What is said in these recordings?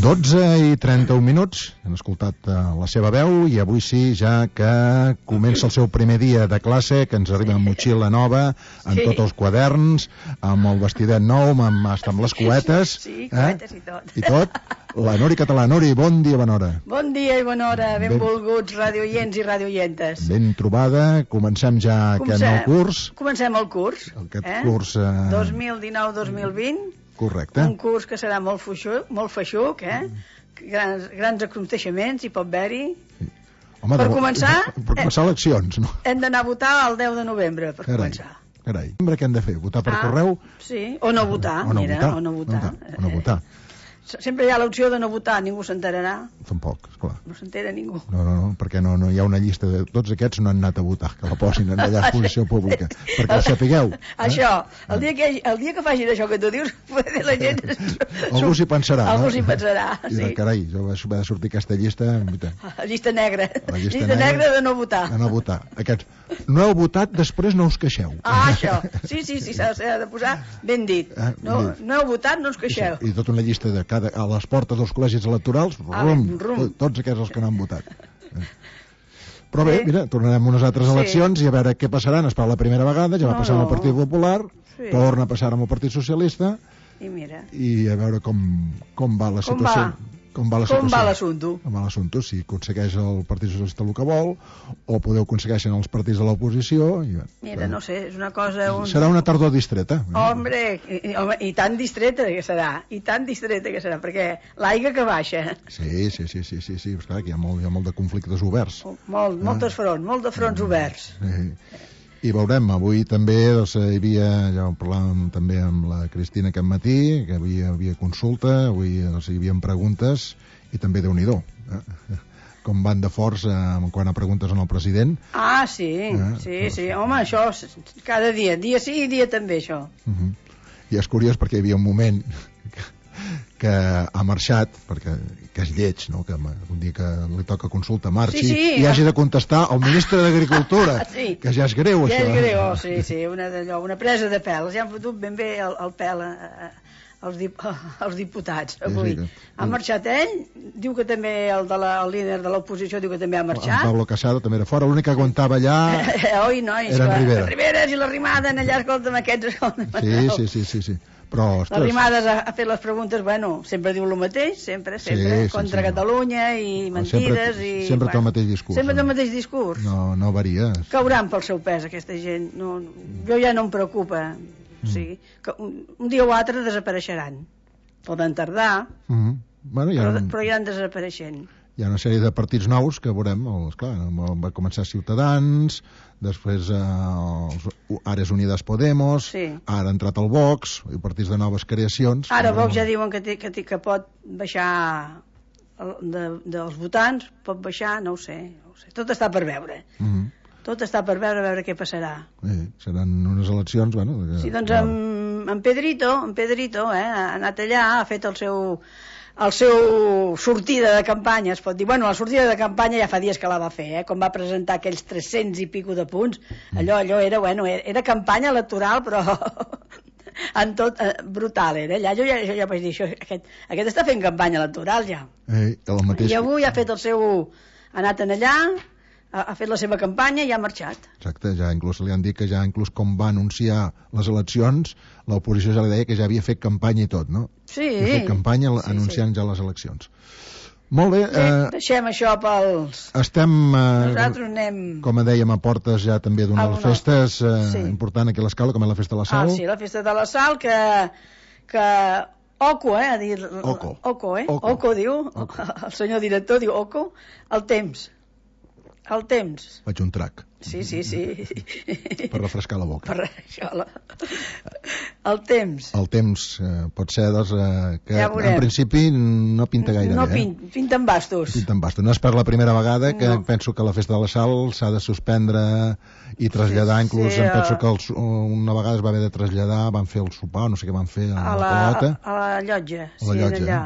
12:31. Hem escoltat la seva veu i avui sí, ja que comença el seu primer dia de classe, que ens arriba amb motxilla nova, amb tots els quaderns, amb el vestidet nou, amb les cuetes. Sí, cuetes i tot. I tot. La Nori Català. Nori, bon dia, bona hora. Bon dia i bona hora, benvolguts radioients i radioientes. Ben trobada. Comencem ja aquest nou curs. Comencem el curs. Aquest curs... 2019-2020. Correcte. Un curs que serà molt feixuc, grans aconteixements, hi pot haver-hi. Home, per començar... Per començar eleccions, no? Hem d'anar a votar el 10 de novembre, per començar. Carai. Què hem de fer? Votar per correu? Sí, o no votar, mira, o no votar. Sempre hi ha l'opció de no votar, ningú s'enterarà. Tampoc, esclar. No s'entera ningú. No, perquè no hi ha una llista de... Tots aquests no han anat a votar, que la posin en allà a exposició pública, perquè ho sapigueu. Això, el dia que facin això que tu dius, la gent... Algú s'hi pensarà, no? Algú s'hi pensarà, sí. I carai, jo vaig haver de sortir aquesta llista... La llista negra. La llista negra de no votar. De no votar. Aquests, no heu votat, després no us queixeu. Ah, això. Sí, s'ha de posar ben dit. No heu votat, no us queixeu. I tota una llista de a les portes dels col·legis electorals, tots aquests els que no han votat. Però bé, mira, tornarem a unes altres eleccions i a veure què passaran. Es parla la primera vegada, ja va passar amb el Partit Popular, torna a passar amb el Partit Socialista i a veure com va la situació. Com va l'assumpte, si aconsegueix el Partit Socialista el que vol o podeu aconsegueixen els partits de l'oposició. Mira, no sé, és una cosa... Serà una tardor distreta. Hombre, i tan distreta que serà, perquè l'aigua que baixa. Sí, esclar, que hi ha molt de conflictes oberts. Molt de fronts oberts. I veurem, avui també hi havia, ja ho parlàvem també amb la Cristina aquest matí, que avui hi havia consulta, avui hi havia preguntes, i també Déu-n'hi-do, com van de forts quan a preguntes al president. Ah, sí, home, això cada dia sí i dia també, això. I és curiós perquè hi havia un moment que ha marxat, que és lleig, no? Que un dia que li toca consulta marxi i hagi de contestar al ministre d'Agricultura, que ja és greu, això. Ja és greu, sí, una presa de pèl. Ja han fotut ben bé el pèl als diputats avui. Ha marxat ell, diu que també el líder de l'oposició diu que també ha marxat. En Pablo Casado també era fora, l'únic que aguantava allà oi, nois, era en Rivera. Les Riveres i la Rimada allà, escolta'm, aquests... Sí. Però, ostres... La Rimadas ha fet les preguntes, sempre diu el mateix, sempre, contra Catalunya i mentides i... Sempre té el mateix discurs. Sempre té el mateix discurs. No varia. Cauran pel seu pes, aquesta gent. Jo ja no em preocupa. O sigui, que un dia o altre desapareixeran. Poden tardar, però iran desapareixent. Hi ha una sèrie de partits nous que veurem, esclar, va començar Ciutadans, després Àrees Unides Podemos, ara ha entrat el Vox, i partits de noves creacions. Ara Vox ja diuen que pot baixar dels votants, pot baixar, no ho sé. Tot està per veure. Tot està per veure què passarà. Seran unes eleccions, Sí, doncs en Pedrito ha anat allà, ha fet el seu sortida de campanya, es pot dir. La sortida de campanya ja fa dies que la va fer, quan va presentar aquells 300 i pico de punts. Allò era campanya electoral, però en tot brutal era. Allà jo ja vaig dir, aquest està fent campanya electoral ja. I avui ha fet ha anat allà, ha fet la seva campanya i ha marxat. Exacte, ja inclús li han dit que com va anunciar les eleccions, l'oposició ja li deia que ja havia fet campanya i tot, no? Sí. Ha fet campanya anunciant ja les eleccions. Molt bé. Deixem això pels... Estem, nosaltres anem... com dèiem, a portes ja també d'unes festes important aquí a l'Escala, com és la Festa de la Sal. Sí, la Festa de la Sal, que Oco, ha dit... Oco diu, el senyor director diu Oco, el temps. Faig un trac. Sí. Per refrescar la boca. Per això, el temps. El temps pot ser, que en principi no pinta gaire bé. Pinten bastos. No és per la primera vegada que penso que la Festa de la Sal s'ha de suspendre i traslladar, inclús em penso que una vegada es va haver de traslladar, van fer el sopar, no sé què van fer a la llotja.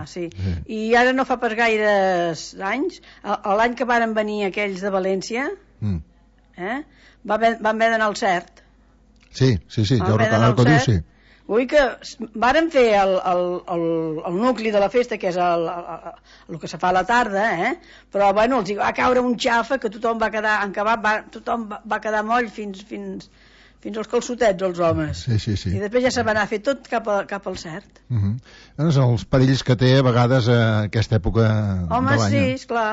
Sí. I ara no fa pas gaires anys, l'any que varen venir aquells de València, van haver d'anar al Cert. Sí, ja ho recordo, diu, sí. Vull que varen fer el nucli de la festa, que és el que se fa a la tarda, però bueno, els va caure un xafa que tothom va quedar encabat, tothom va quedar moll fins als calçotets, els homes. Sí. I després ja se va anar a fer tot cap al cert. Doncs els perills que té a vegades aquesta època de l'any. Home, sí, esclar.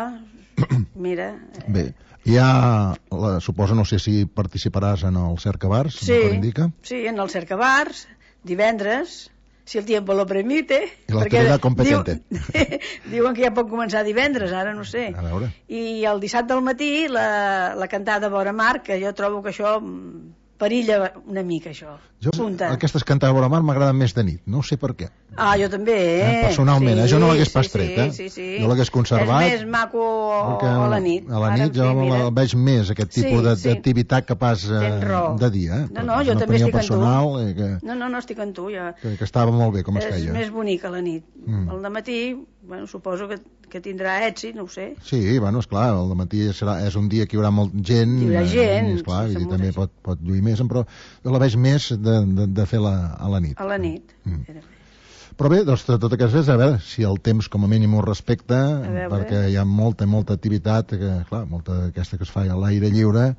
Mira. Bé, suposo, no sé si participaràs en el Cercabars, sí, com indica. Sí, en el Cercabars, divendres, si el tiempo lo permite. I l'activitat competente. Diuen que ja pot començar divendres, ara no sé. A veure. I el dissabte al matí la cantada Vora Mar, que jo trobo que això perilla una mica, això. Aquestes cantades Vora Mar m'agraden més de nit, no sé per què. Jo també, personalment, jo no l'hagués pas tret, Sí. Jo l'hagués conservat. És més maco a la nit. A la nit jo el veig més, aquest tipus d'activitat que pas de dia. No, jo també estic en tu. No, estic en tu, ja. Que estava molt bé, com es feia. És més bonic a la nit. Al dematí, bueno, suposo que tindrà èxit, no ho sé. Sí, bueno, esclar, al dematí és un dia que hi haurà molta gent. Hi haurà gent. Esclar, i també pot lluir més, però jo la veig més de fer a la nit. A la nit. Però bé, doncs tot aquest és, a veure, si el temps com a mínim ho respecta, perquè hi ha molta activitat, clar, molta d'aquesta que es fa a l'aire lliure,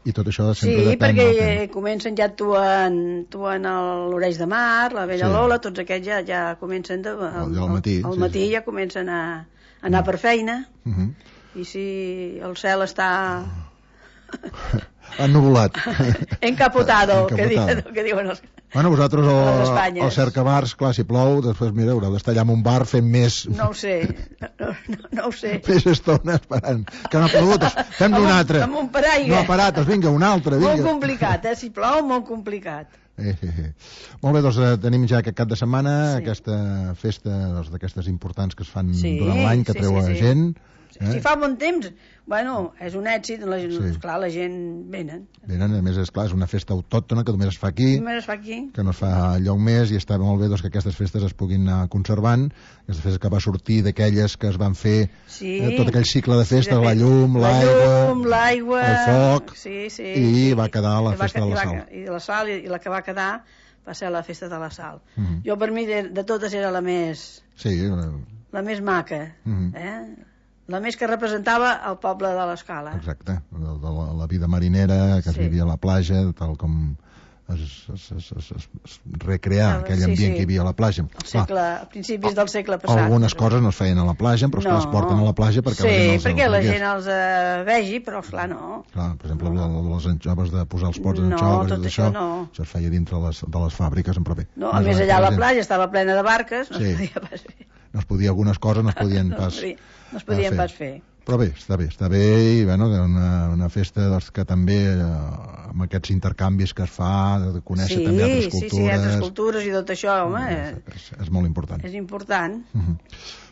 i tot això sempre depèn. Sí, perquè comencen ja actuant l'Oreix de Mar, la Vella Lola, tots aquests ja comencen al matí ja comencen a anar per feina, i si el cel està ennuvolat, encapotado, que diuen els... Bueno, vosaltres al Cercabars, clar, si plou, després, mira, haureu d'estar allà en un bar fent més... No ho sé. Més estona esperant. Que no ha plogut, fem-ne un altre. Amb un paraigua. No ha parat, vinga, un altre. Molt complicat, si plou, molt complicat. Molt bé, doncs tenim ja aquest cap de setmana, aquesta festa d'aquestes importants que es fan durant l'any, que treu a gent. Si fa bon temps, bueno, és un èxit, clar, la gent venen, a més, esclar, és una festa autòctona que només es fa aquí, que no es fa lloc més, i està molt bé doncs, que aquestes festes es puguin anar conservant, aquestes festes que va sortir d'aquelles que es van fer tot aquell cicle de festes, la llum, l'aigua, el foc, i va quedar la festa de la sal. I la sal, i la que va quedar va ser la festa de la sal. Jo, per mi, de totes era la més maca, la més que representava el poble de l'Escala. Exacte, de la vida marinera que es vivia a la platja, tal com es recrear aquell ambient que hi havia a la platja. A principis del segle passat. Algunes coses no es feien a la platja, però es porten a la platja perquè la gent els vegi, però esclar, no. Clar, per exemple, les anxoves de posar els pots en anxoves, això es feia dintre de les fàbriques, però bé. No, a més allà la platja estava plena de barques, no es podia pas fer. Algunes coses no es podien pas fer. Però bé, està bé, i bueno, una festa que també amb aquests intercanvis que es fa, de conèixer també altres cultures. Sí, altres cultures i tot això, home. És molt important. És important.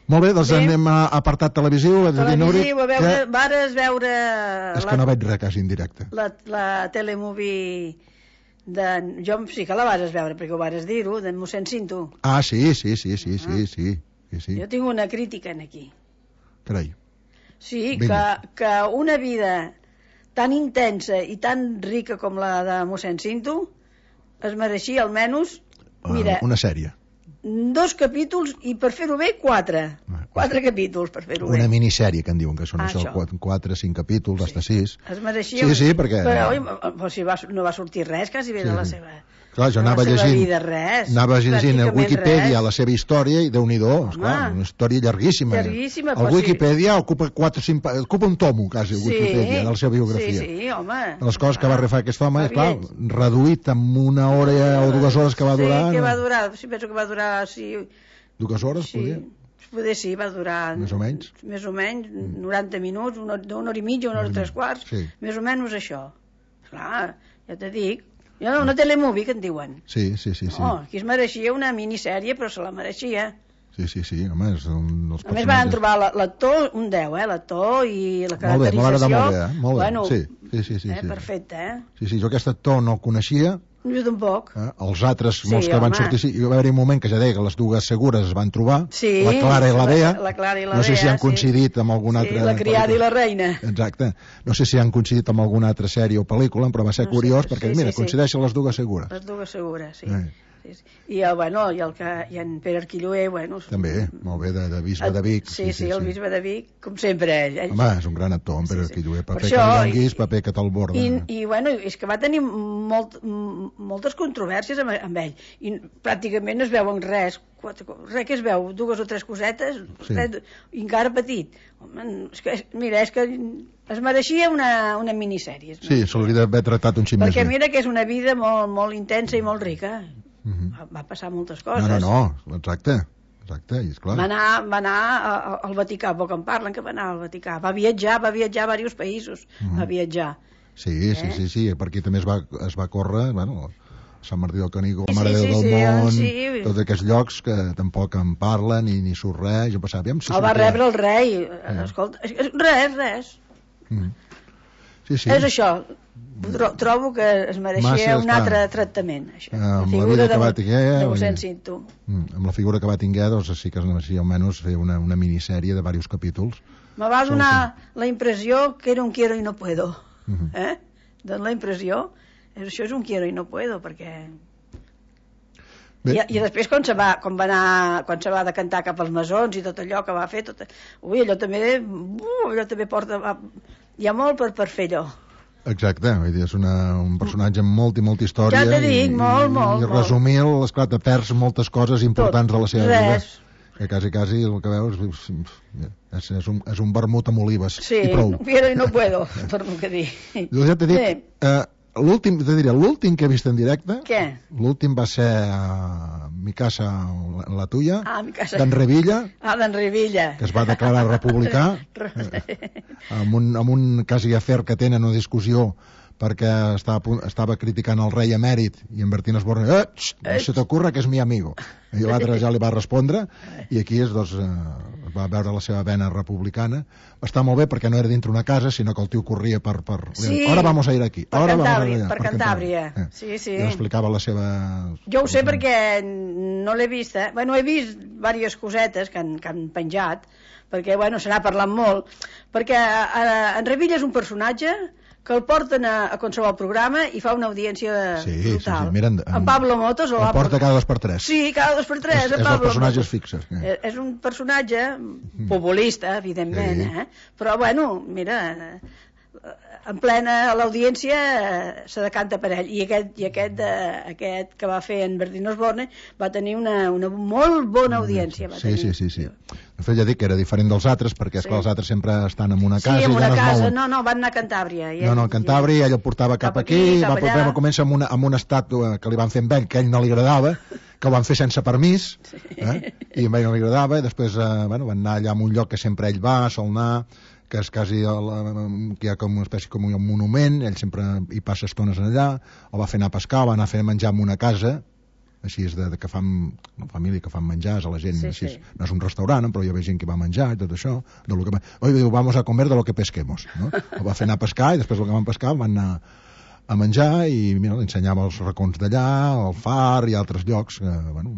Molt bé, doncs anem a apartat televisiu. Televisiu, vares veure... És que no veig res quasi en directe. La telemovie... Jo sí que la vas veure, perquè ho vas dir-ho, d'en mossèn Cinto. Sí. Jo tinc una crítica aquí. Carai. Sí, que una vida tan intensa i tan rica com la de mossèn Cinto es mereixia almenys, mira... Una sèrie. 2 capítols i per fer-ho bé 4 capítols per fer-ho bé. Una minissèrie que en diuen, que són això 4, 5 capítols, hasta 6. Es mereixia... Sí, perquè... Però si no va sortir res quasi bé de la seva... Clar, jo anava llegint a Wikipedia la seva història i Déu-n'hi-do, una història llarguíssima. El Wikipedia ocupa un tomo, quasi, el Wikipedia, de la seva biografia. Sí, home. Les coses que va refar aquest home, clar, reduït amb 1 hora o 2 hores que va durar... Sí, que va durar, penso que va durar... 2 hores, poder? Poder sí, va durar... Més o menys? Més o menys, 90 minuts, una hora i mitja, 1 hora i 3/4, més o menys això. Clar, ja te dic, una telemovie que en diuen. Sí. Aquí es mereixia una minissèrie, però se la mereixia. Sí, home, és un dels personatges. A més van trobar l'actor un 10, l'actor i la caracterització. Molt bé, sí. Perfecte, Sí, jo aquest actor no el coneixia. Jo tampoc. Els altres, molts que van sortir, hi va haver un moment que ja deia que les dues segures es van trobar, la Clara i la Bea, no sé si han coincidit amb alguna altra... la criada i la reina. Exacte, no sé si han coincidit amb alguna altra sèrie o pel·lícula, però va ser curiós perquè, mira, coincideixen les dues segures. Les dues segures, sí. I en Pere Arquilloé, bueno... També, molt bé, de bisbe de Vic. Sí, el bisbe de Vic, com sempre ell. Home, és un gran actor, en Pere Arquilloé, paper que li donguis, paper que te'l borda. I bueno, és que va tenir moltes controvèrsies amb ell, i pràcticament no es veuen res que es veu, 2 o 3 cosetes, i encara petit. Home, és que es mereixia una minissèrie. Sí, se l'hauria d'haver tractat un xic més bé. Perquè mira que és una vida molt intensa i molt rica. Va passar moltes coses. No, exacte, i esclar. Va anar al Vaticà, poc en parlen que va anar al Vaticà. Va viatjar a diversos països, va viatjar. Sí, per aquí també es va córrer, bueno... Sant Martí del Canigó, la Mare del Món, tots aquests llocs que tampoc en parlen ni surt res. Jo pensava, el va rebre el rei. Escolta, res. Sí. És això. Trobo que es mereixia un altre tractament. Amb la vida que va tinguer... Amb la figura que va tinguer, doncs sí que es mereixia almenys fer una minissèrie de diversos capítols. Me va donar la impressió que era un quiero y no puedo. Dona la impressió... Això és un quiero y no puedo, perquè... I després quan se va decantar cap als masons i tot allò que va fer, allò també porta... Hi ha molt per fer allò. Exacte, vull dir, és un personatge amb molta història. Ja t'he dit, molt. I resumir-lo, esclar, te perds moltes coses importants de la seva vida. Que quasi el que veus és un vermut amb olives i prou. Sí, quiero y no puedo, torno a dir. Jo ja t'he dit... L'últim que he vist en directe... Què? L'últim va ser Mi casa, la tuya, d'en Revilla. D'en Revilla. Que es va declarar republicà, amb un quasi afer que tenen una discussió perquè estava criticant el rei emèrit i en Bertín Osborne, no se t'ocorre que és mi amigo. I l'altre ja li va respondre i aquí va veure la seva vena republicana. Va estar molt bé perquè no era dintre una casa, sinó que el tio corria per... Sí, ahora vamos a ir aquí. Per Cantàbria. Sí. I explicava la seva... Jo ho sé perquè no l'he vist, Bueno, he vist diverses cosetes que han penjat, perquè, bueno, se n'ha parlat molt, perquè en Revilla és un personatge que el porten a qualsevol programa i fa una audiència brutal. Sí, mira, en Pablo Motos... El porta cada 2x3. Sí, cada 2x3. És dels personatges fixes. És un personatge populista, evidentment, però, bueno, mira... en plena l'audiència se decanta per ell i aquest que va fer en Bertín Osborne va tenir una molt bona audiència. Sí. De fet ja dic que era diferent dels altres perquè esclar, els altres sempre estan en una casa en una casa, no, van anar a Cantàbria a Cantàbria, ell el portava cap aquí va començar amb una estàtua que li van fer amb ell, que a ell no li agradava, que ho van fer sense permís i a ell no li agradava i després van anar allà a un lloc que sempre ell va, sol anar, que és quasi que hi ha com una espècie com un monument, ell sempre hi passa estones allà, el va fer anar a pescar, va anar a fer menjar en una casa, així és que fan una família que fan menjars a la gent, així no és un restaurant, però hi havia gent que va menjar i tot això, diu, vamos a comer de lo que pesquemos, no? El va fer anar a pescar i després el que van pescar van anar a menjar i mira, li ensenyava els racons d'allà, el far i altres llocs que, bueno,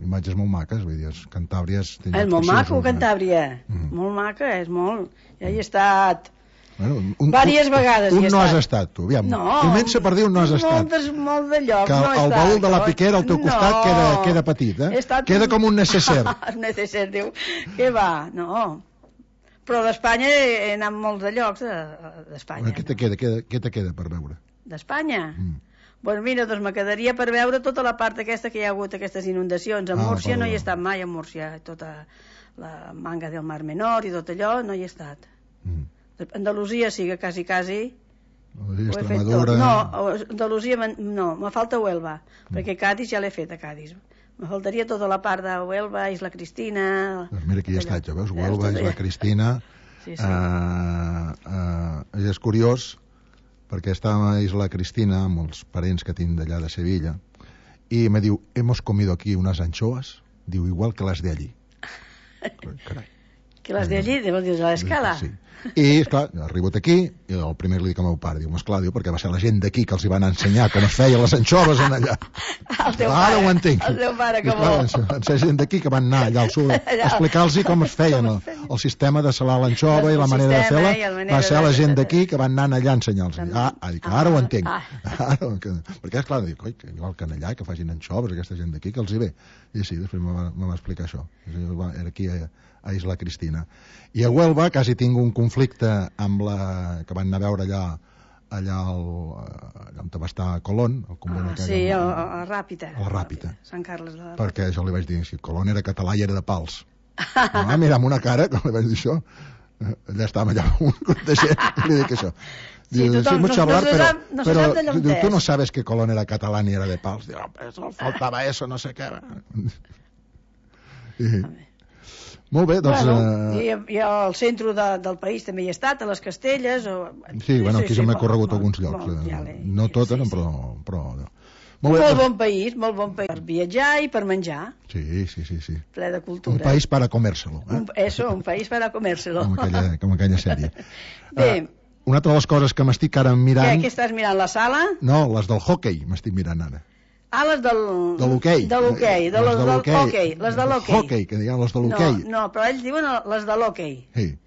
imatges molt maques, vull dir, Cantàbria és molt maco, Cantàbria, molt maca, és molt, ja hi he estat diverses vegades. No has estat, tu, aviam, comença per dir on no has estat. Molt de llocs, que el baúl de la Piquera al teu costat queda petit, queda com un necesser. Un necesser, diu, què va, no. Però d'Espanya he anat molts de llocs d'Espanya. Què te queda per veure? D'Espanya? Doncs mira, me quedaria per veure tota la part aquesta que hi ha hagut, aquestes inundacions. A Múrcia no hi he estat mai, a Múrcia. Tota la manga del Mar Menor i tot allò no hi he estat. Andalusia sí que quasi... Extremadura... No, Andalusia no, me falta Huelva, perquè Cádiz ja l'he fet a Cádiz. Me faltaria tota la part de Huelva, Isla Cristina... Doncs mira que hi he estat, ja veus, Huelva, Isla Cristina... És curiós perquè estava a Isla Cristina amb els parents que tinc d'allà de Sevilla i me diu, hemos comido aquí unas anchoas, diu, igual que les de allí. Carai. Que les de allí, vols dir, de l'escala? Sí. I, esclar, arribo aquí, i el primer li dic al meu pare, diu, esclar, diu, perquè va ser la gent d'aquí que els hi van ensenyar com es feien les anxoves en allà. El teu Ara pare, ho entenc. el teu pare, que bo. Va ser gent d'aquí que van anar allà al sud a explicar-los com es feien el sistema de salar l'anxova i la manera de fer-la. Va ser la gent d'aquí que van anar allà a ensenyar-los. Ara ho entenc. Perquè, esclar, dic, oi, igual que allà, que facin anxoves, aquesta gent d'aquí, que els hi ve. I sí, després me va explicar això. Era aquí a Isla Cristina. I a Huelva quasi tinc un conflicte amb la que van anar a veure allà on va estar Colón, el convent aquell. Sí, a la Ràpita. A la Ràpita. Sant Carles de la Ràpita. Perquè jo li vaig dir, si Colón era català i era de Pals. Mira, amb una cara, com li vaig dir això, allà estàvem allà un grup de gent, i li dic això. Sí, tothom no sap d'allò on és. Tu no sabes que Colón era català ni era de Pals. Diu, faltava eso, no sé què. Molt bé, doncs... I al centre del país també hi he estat, a les Castelles... Sí, bueno, aquí ja m'he corregut alguns llocs. No totes, però... Molt bon país per viatjar i per menjar. Sí. Ple de cultura. Un país para comérselo. Eso, un país para comérselo. Com aquella sèrie. Bé. Una altra de les coses que m'estic ara mirant... Què estàs mirant, la sala? No, les del hockey m'estic mirant ara. Les de l'hoquei. De l'hoquei, les de l'hoquei. Hockey, que diuen les de l'hoquei. No, però ells diuen les de l'hoquei. Sí.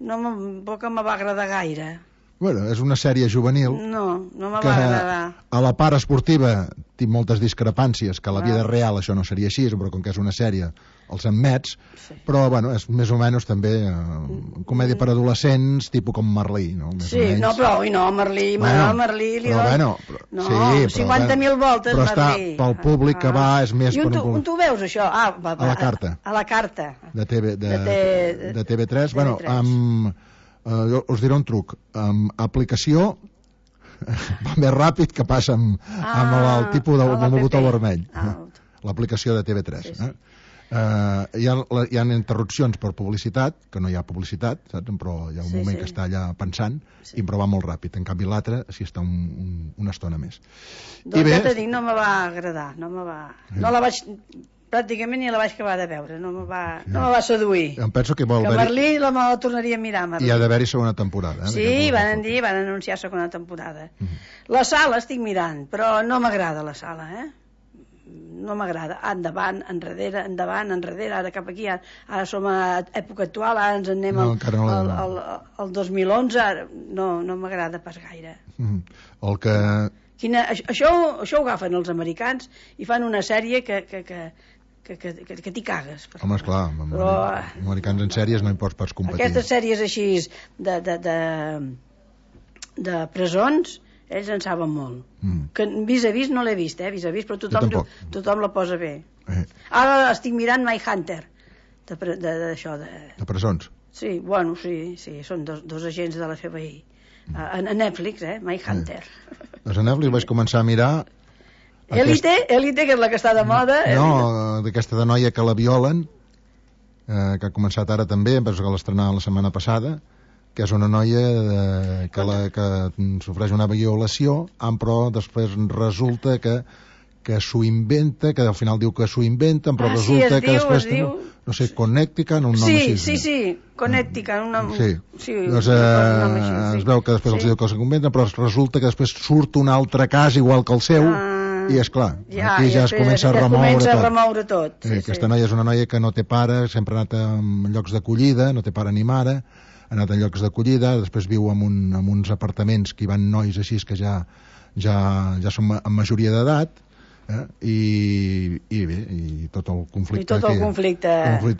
Tampoc em va agradar gaire. Bueno, és una sèrie juvenil. No me va agradar. A la part esportiva tinc moltes discrepàncies, que a la vida real això no seria així, però com que és una sèrie els admets, però bueno, és més o menys també comèdia per adolescents, tipus com Merlí, no? Sí, no, però Merlí li dono... No, 50.000 voltes, però Merlí. Però pel públic que va és més... I on tu veus això? A la carta. A la carta. De TV3. Bueno, us diré un truc. Aplicació va més ràpid que passa amb el tipus del botó vermell. L'aplicació de TV3. Hi ha interrupcions per publicitat, que no hi ha publicitat, saps? Però hi ha un moment que està allà pensant, però va molt ràpid. En canvi l'altre s'hi està una estona més. Doncs ja t'ho dic, no me va agradar. No la vaig... Pràcticament ni la vaig acabar de veure, no me va seduir. Em penso que Merlí la tornaria a mirar, Merlí. I ha d'haver-hi segona temporada. Sí, van anunciar segona temporada. La sala estic mirant, però no m'agrada la sala, no m'agrada. Endavant, enrere, ara cap aquí, ara som a època actual, ara ens anem al 2011, ara no m'agrada pas gaire. El que... Això ho agafen els americans i fan una sèrie que t'hi cagues. Home, esclar, els americans en sèries no hi pots pas competir. Aquestes sèries així de presons, ells en saben molt. Que vis-a-vis no l'he vist, vis-a-vis, però tothom la posa bé. Ara estic mirant Mindhunter, d'això. De presons? Sí, bueno, sí, són dos agents de la FBI. A Netflix, Mindhunter. Doncs a Netflix vaig començar a mirar... Elite, que és la que està de moda. No, d'aquesta de noia que la violen, que ha començat ara també, em penso que l'estrenar la setmana passada, que és una noia que sofreix una violació, però després resulta que s'ho inventa, que al final diu que s'ho inventen, però resulta que després... No sé, Connecticut, un nom així. Sí, Connecticut. Sí, doncs es veu que després els diu que s'ho inventen, però resulta que després surt un altre cas igual que el seu, i és clar, aquí ja es comença a remoure tot. Aquesta noia és una noia que no té pare, sempre ha anat en llocs d'acollida, no té pare ni mare, ha anat en llocs d'acollida, després viu en uns apartaments que hi van nois així que ja són en majoria d'edat, i bé, i tot el conflicte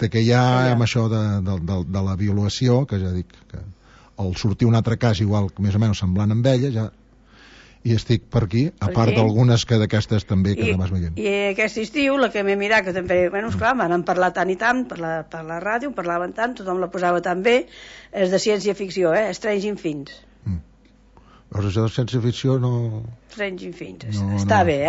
que hi ha amb això de la violació, que ja dic que al sortir un altre cas igual més o menys semblant amb ella ja, i estic per aquí, a part d'algunes que d'aquestes també que vas veient. I aquest estiu la que m'he mirat, que també, bueno, esclar, m'han parlat tant i tant per la ràdio, parlaven tant, tothom la posava tan bé, és de ciència-ficció, Stranger Things. Però això de ciència-ficció no... Stranger Things, està bé,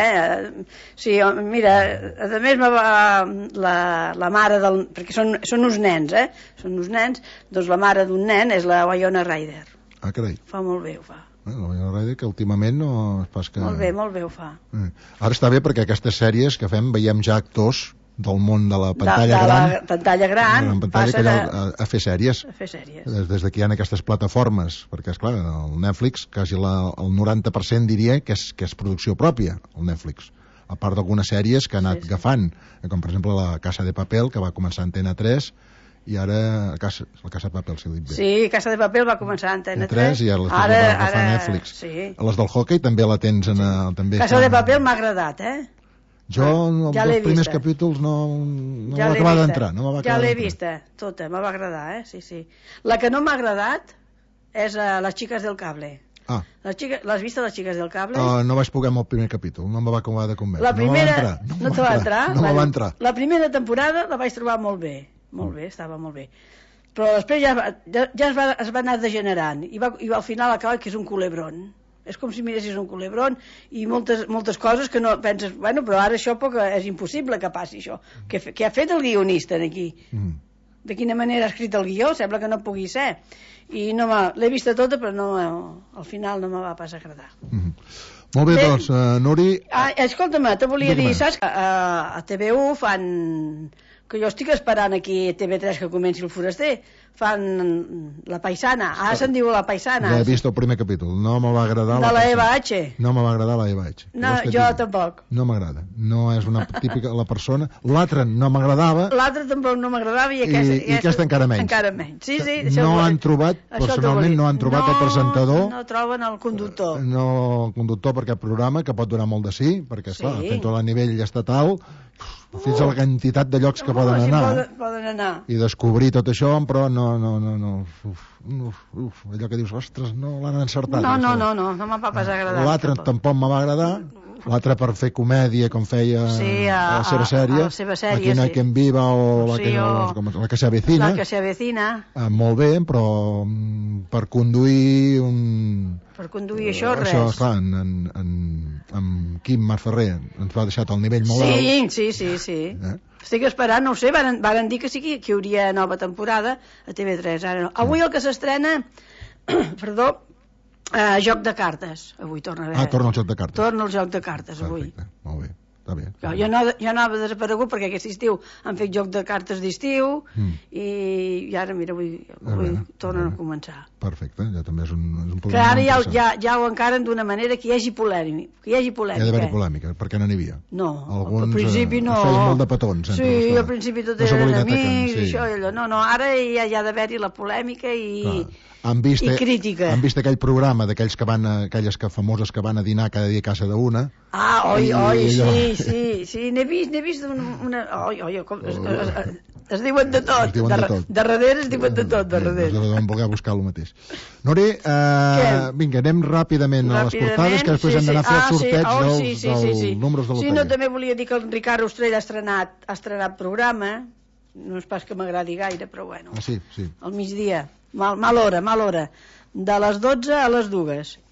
Sí, mira, a més la mare del... perquè són uns nens, són uns nens, doncs la mare d'un nen és la Winona Ryder. Ah, carai. Fa molt bé, ho fa. La Winona Ryder, que últimament no és pas que... Molt bé ho fa. Ara està bé perquè aquestes sèries que fem veiem ja actors del món de la pantalla gran, la pantalla gran passen a fer sèries. Des que hi ha aquestes plataformes, perquè esclar, el Netflix quasi el 90% diria que és producció pròpia, el Netflix, a part d'algunes sèries que ha anat agafant, com per exemple la Casa de Papel, que va començar a Antena 3, i ara la Casa de Papel, si ho dic bé. Sí, Casa de Papel va començar a Antena 3 i ara va agafar Netflix. Les del hockey també la tens Casa de Papel m'ha agradat, jo els primers capítols no m'ha acabat d'entrar. Ja l'he vista, tota, m'ha agradar, sí. La que no m'ha agradat és Les xiques del cable. L'has vist, Les xiques del cable? No vaig poder amb el primer capítol, no em va acabar de convèncer. La primera no te va entrar? No va entrar. La primera temporada la vaig trobar molt bé, estava molt bé. Però després ja es va anar degenerant i al final acaba que és un culebrón. És com si miressis un culebrón i moltes coses que no penses, bueno, però ara això és impossible que passi això. Què ha fet el guionista aquí? De quina manera ha escrit el guió? Sembla que no pugui ser. I l'he vista tota, però al final no me va pas agradar. Molt bé, doncs, Nuri... Escolta'm, te volia dir, saps que a TV1 fan... que jo estic esperant aquí a TV3 que comenci el Foraster, fan La Paisana, ara se'n diu La Paisana. Ja he vist el primer capítol, no me va agradar de la Eva H. No me va agradar la Eva H. No, jo tampoc. No m'agrada, no és una típica la persona. L'altra no m'agradava. L'altra tampoc no m'agradava i aquesta encara menys. Encara menys, sí. No han trobat, personalment no han trobat el presentador. No troben el conductor. No el conductor per aquest programa, que pot durar molt de sí, perquè esclar, fent tot a nivell estatal, fins a la quantitat de llocs que poden anar i descobrir tot això, però no allò que dius, ostres, no l'han encertat. No m'ha pas agradat. L'altre tampoc me va agradar, l'altre per fer comèdia com feia a la seva sèrie, Aquí no hay quien viva o la que se avecina. La que se avecina. Molt bé, però per conduir això res. Això, clar, en Quim Marferrer ens va deixar al nivell molt alt. Sí. Estic esperant, no ho sé, varen dir que sí que hi hauria nova temporada a TV3, ara no. Avui el que s'estrena, Joc de cartes, avui torna a haver. Torna el Joc de cartes. Torna el Joc de cartes, avui. Perfecte, molt bé. Bé. Jo anava desaparegut perquè aquest estiu han fet Joc de cartes d'estiu i ara, mira, avui tornen a començar. Perfecte, ja també és un problema. Que ara ja ho encaren d'una manera que hi hagi polèmica. Hi ha d'haver polèmica, perquè no n'hi havia. No, al principi no. Feien molt de petons. Sí, al principi tot eren amics, això i allò. No, ara ja hi ha d'haver-hi la polèmica i crítica. Han vist aquell programa d'aquells aquelles famoses que van a dinar cada dia a casa d'una. Sí, n'he vist una... Es diuen de tot. Darrere es diuen de tot, darrere. Vam voler buscar el mateix. Nori, vinga, anem ràpidament a les portades, que després hem d'anar a fer el sorteig dels números de loteria. Sí, no, també volia dir que el Ricard Ostrell ha estrenat programa, no és pas que m'agradi gaire, però bueno. Sí. Al migdia, mal hora, de les 12 a les 2.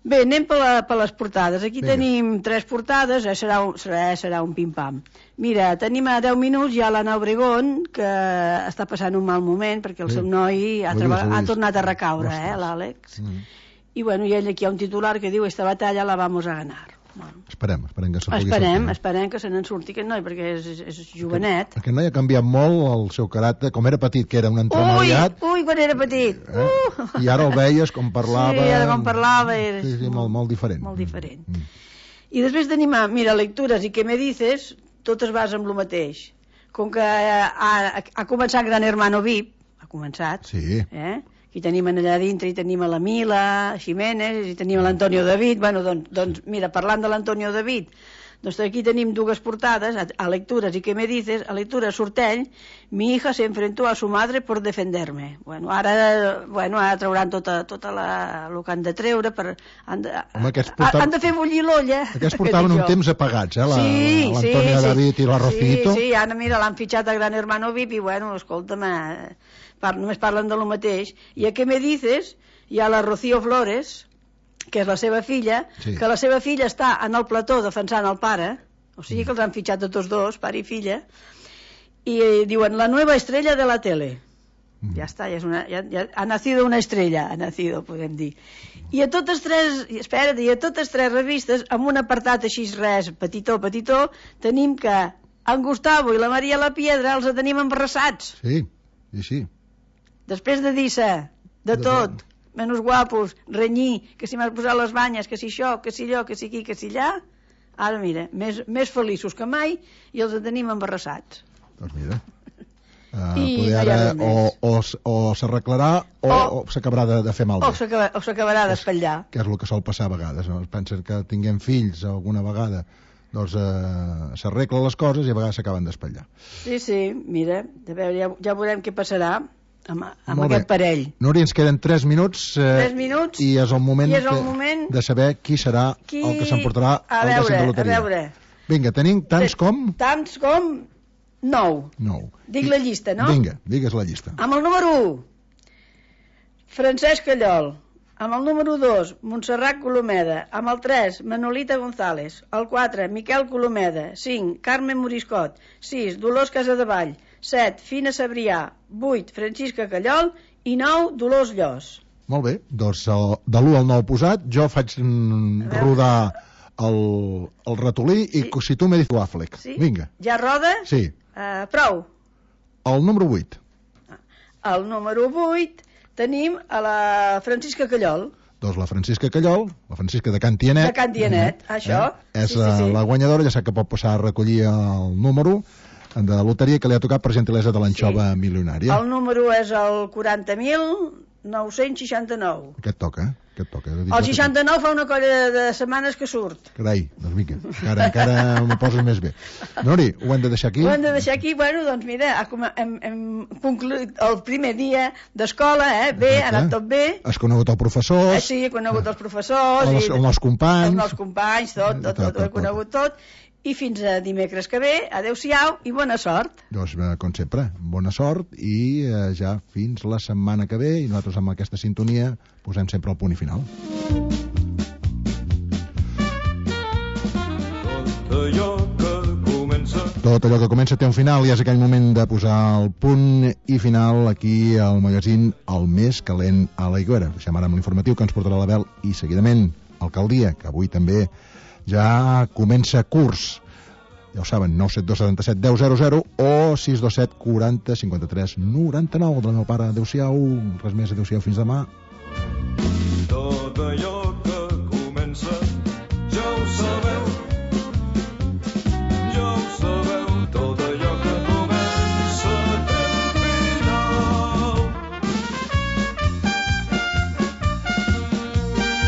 Bé, anem per les portades. Aquí tenim 3 portades, serà un pim-pam. Mira, tenim a 10 minuts ja l'Anna Obregón, que està passant un mal moment, perquè el seu noi ha tornat a recaure, l'Àlex. I bueno, i ell aquí ha un titular que diu «Esta batalla la vamos a ganar». Esperem que se pugui sortir. Esperem que se n'en surti aquest noi, perquè és jovenet. Aquest noi ha canviat molt el seu caràcter, com era petit, que era un entremaliat. Ui, quan era petit. I ara el veies com parlava. Sí, ara com parlava. Sí, molt diferent. Molt diferent. I després tenim, mira, lectures i què me dices, totes vas amb el mateix. Com que ha començat Gran Hermano VIP, ha començat. Sí. Aquí tenim allà dintre, i tenim a la Mila Jiménez, i tenim a l'Antonio David. Bueno, doncs, mira, parlant de l'Antonio David, doncs aquí tenim 2 portades, a lectures, i què me dices, a lectures sortell, mi hija se enfrentó a su madre por defenderme. Bueno, ara trauran tot el que han de treure, han de fer bullir l'olla. Aquests portaven un temps apagats, l'Antonio David i la Rocito. Sí, ara mira, l'han fitxat a Gran Hermano VIP i bueno, escolta'm, només parlen de lo mateix. I a què me dices, hi ha la Rocío Flores, que és la seva filla, que la seva filla està en el plató defensant el pare, o sigui que els han fitxat a tots dos, pare i filla, i diuen la nueva estrella de la tele. Ja està, ha nacido una estrella, podem dir. I a totes 3 revistes, amb un apartat així res, petitó, tenim que en Gustavo i la Maria la Piedra els tenim embarassats. Sí, sí. Després de dir-se de tot, menys guapos, renyir, que si m'has posat les banyes, que si això, que si allò, que si aquí, que si allà, ara mira, més feliços que mai i els tenim embarassats. Doncs mira, poder ara o s'arreglarà o s'acabarà de fer malbé. O s'acabarà d'espatllar. Que és el que sol passar a vegades, no? Pensen que tinguem fills alguna vegada, doncs s'arreglen les coses i a vegades s'acaben d'espatllar. Sí, mira, a veure, ja veurem què passarà amb aquest parell. Núria, ens queden 3 minuts, 3 minuts i és el moment de saber qui serà el que s'emportarà el dècim de loteria. A veure. Vinga, tenim tants com? Tants com 9. Dic la llista, no? Vinga, digues la llista. Amb el número 1, Francesc Callol. Amb el número 2, Montserrat Colomeda. Amb el 3, Manolita González. El 4, Miquel Colomeda. 5, Carmen Moriscot. 6, Dolors Casadevall. 7, Fina Sabrià. 8, Francisca Callol. I 9, Dolors Llos. Molt bé, doncs de l'1 al 9 posat, jo faig rodar el ratolí i si tu m'he dit l'àflec. Vinga. Ja roda? Sí. Prou. El número 8. El número 8 tenim a la Francisca Callol. Doncs la Francisca Callol, la Francisca de Can Tianet. De Can Tianet, això. És la guanyadora, ja sap que pot passar a recollir el número de loteria que li ha tocat per gentilesa de l'anxova milionària. El número és el 40.969. Què et toca? El 69 fa una colla de setmanes que surt. Carai, doncs mica, encara m'ho poses més bé. Nori, ho hem de deixar aquí? Ho hem de deixar aquí, bueno, doncs mira, hem concluït el primer dia d'escola, bé, ha anat tot bé. Has conegut el professor? Sí, he conegut els professors. Els nous companys. Els nous companys, tot, ho he conegut tot. I fins a dimecres que ve, adeu-siau i bona sort. Doncs, com sempre, bona sort i ja fins la setmana que ve i nosaltres amb aquesta sintonia posem sempre el punt i final. Tot allò que comença té un final i és aquell moment de posar el punt i final aquí al magazín El Més Calent a l'Aigüera. Deixem ara amb l'informatiu que ens portarà l'Abel i seguidament Alcaldia, que avui també ja comença curs. Ja ho saben, 97277 1000 o 627 40 53 99 del meu pare. Adéu-siau, res més, adéu-siau, fins demà. Tot allò que